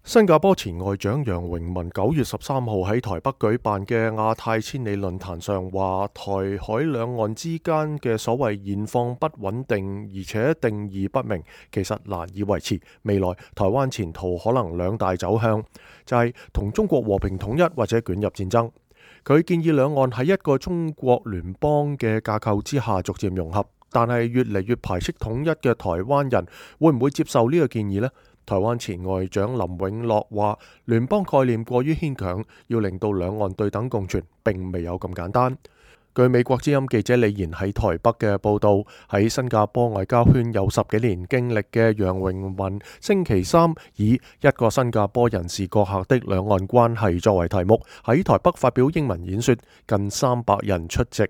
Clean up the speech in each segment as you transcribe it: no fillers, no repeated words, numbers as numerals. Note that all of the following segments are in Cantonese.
新加坡前外長楊榮文9月13號喺台北舉辦嘅亞太千里論壇上話，台海兩岸之間嘅所謂現況不穩定，而且定義不明，其實難以維持。未來台灣前途可能兩大走向，就係同中國和平統一或者捲入戰爭。佢建議兩岸喺一個中國聯邦嘅架構之下逐漸融合，但係越嚟越排斥統一嘅台灣人會唔會接受呢個建議呢？台灣前外長林永樂話，聯邦概念過於牽強，要令到兩岸對等共存並未有咁簡單。據美國之音記者李賢喺台北嘅報道，喺新加坡外交圈有10幾年經歷嘅楊榮文星期三以一個新加坡人士閣下的兩岸關係作為題目，喺台北發表英文演說，近300人出席，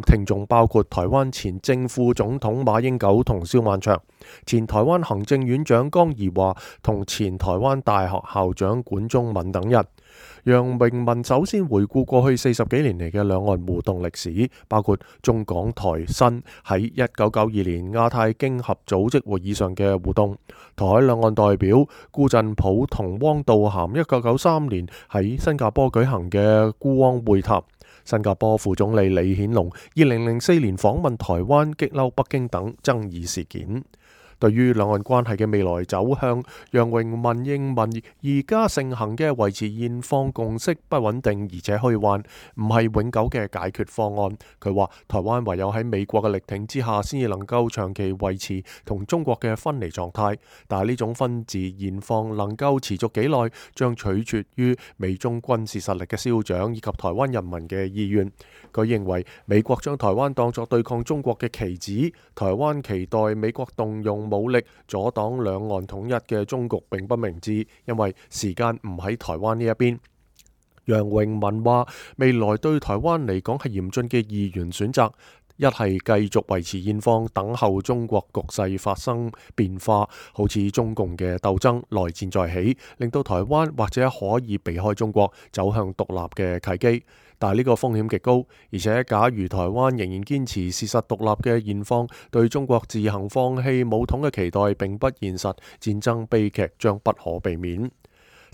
聽眾包括台灣前正副總統馬英九同蕭萬長、前台灣行政院長江宜樺同前台灣大學校長管中閔等人。楊榮文首先回顧過去40幾年嚟嘅兩岸互動歷史，包括中港台新喺1992年亞太經合組織會議上嘅互動，台海兩岸代表辜振甫同汪道涵1993年喺新加坡舉行嘅辜汪會談，新加坡副總理李顯龍2004年訪問台灣激嬲北京等爭議事件。對於兩岸關係嘅未來走向，楊榮文認為而家盛行嘅維持現況共識不穩定而且虛幻，唔係永久嘅解決方案。佢話台灣唯有喺美國嘅力挺之下，先至能夠長期維持同中國嘅分離狀態。但係呢種分治現況能夠持續幾耐，將取決於美中軍事實力嘅消長以及台灣人民嘅意願。佢認為美國將台灣當作對抗中國嘅棋子，台灣期待美國動用武力阻擋兩岸統一嘅終局並不明智，因為時間唔喺台灣呢一邊。楊榮文話，未來對台灣嚟講係嚴峻嘅二元選擇，一係繼續維持現況，等候中國局勢發生變化，好似中共嘅鬥爭內戰再起，令到台灣或者可以避開中國，走向獨立嘅契機。但係呢個風險極高，而且假如台灣仍然堅持事實獨立嘅現況，對中國自行放棄武統嘅期待並不現實，戰爭悲劇將不可避免。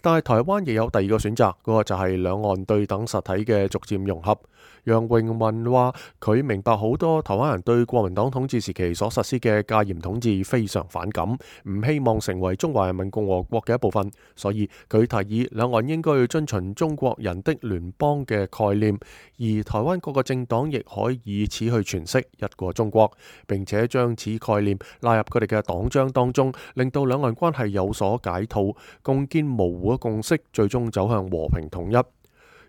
但係台灣亦有第二個選擇，嗰個就係兩岸對等實體嘅逐漸融合。楊榮文話，佢明白好多台灣人對國民黨統治時期所實施嘅戒嚴統治非常反感，唔希望成為中華人民共和國嘅一部分，所以佢提議兩岸應該要遵循中國人的聯邦嘅概念，而台灣各個政黨亦可以此去詮釋一個中國，並且將此概念納入佢哋嘅黨章當中，令到兩岸關係有所解套，共建模糊嘅共識，最終走向和平統一。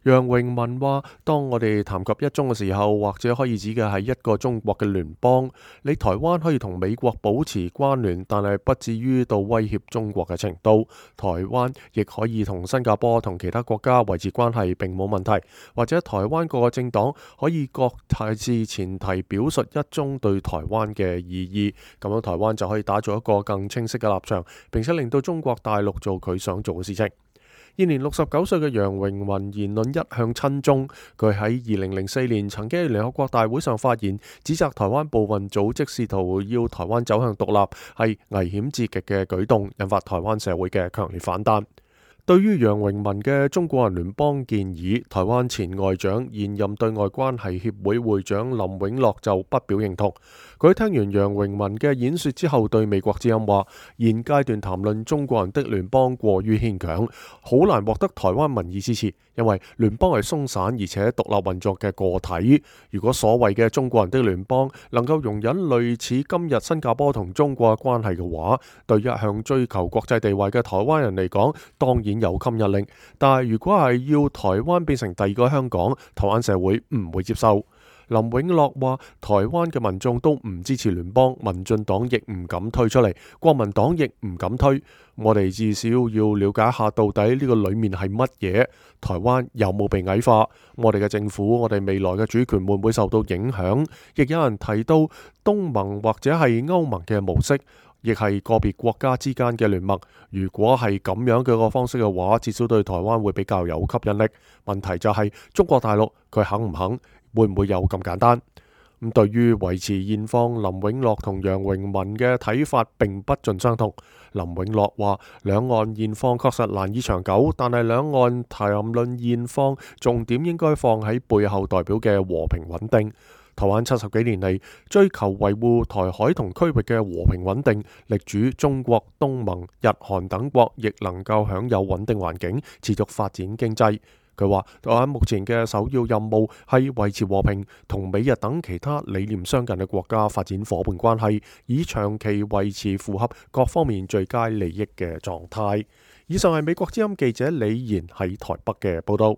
楊榮文話，當我哋談及一中嘅時候，或者可以指嘅係一個中國嘅聯邦，你台灣可以同美國保持關聯，但係不至於到威脅中國嘅程度。台灣亦可以同新加坡同其他國家維持關係並冇問題，或者台灣各個政黨可以各自前提表述一中對台灣嘅意義，咁樣台灣就可以打造一個更清晰嘅立場，並且令到中國大陸做佢想做嘅事情。現年69歲嘅楊榮文言論一向親中，佢喺2004年曾經喺聯合國大會上發言，指責台灣部分組織試圖要台灣走向獨立係危險至極嘅舉動，引發台灣社會嘅強烈反彈。對於楊榮文嘅中國人聯邦建議，台灣前外長現任對外關係協會會長林永樂就不表認同。佢聽完楊榮文嘅演說之後，對美國之音話：現階段談論中國人的聯邦過於牽強，好難獲得台灣民意支持，因為聯邦係鬆散而且獨立運作嘅個體。如果所謂嘅中國人的聯邦能夠容忍類似今日新加坡同中國嘅關係嘅話，對一向追求國際地位嘅台灣人嚟講，當然有吸引力。但係如果係要台灣變成第二個香港，台灣社會唔會接受。林永樂話，台灣嘅民眾都唔支持聯邦，民進黨亦唔敢推出嚟，國民黨亦唔敢推。我哋至少要了解下到底呢個裏面係乜嘢，台灣有冇被矮化，我哋嘅政府，我哋未來嘅主權會唔會受到影響。亦有人提到東盟或者係歐盟嘅模式，亦係個別國家之間嘅聯盟。如果係咁樣嘅個方式嘅話，至少對台灣會比較有吸引力。問題就係中國大陸佢肯唔肯，會唔會有咁簡單？咁對於維持現況，林永樂同楊榮文嘅睇法並不盡相同。林永樂話：兩岸現況確實難以長久，但係兩岸談論現況，重點應該放喺背後代表嘅和平穩定。台灣70幾年嚟追求維護台海同區域嘅和平穩定，力主中國、東盟、日韓等國亦能夠享有穩定環境，持續發展經濟。佢話：台灣目前嘅首要任務係維持和平，同美日等其他理念相近嘅國家發展夥伴關係，以長期維持符合各方面最佳利益嘅狀態。以上係美國之音記者李賢喺台北嘅報道。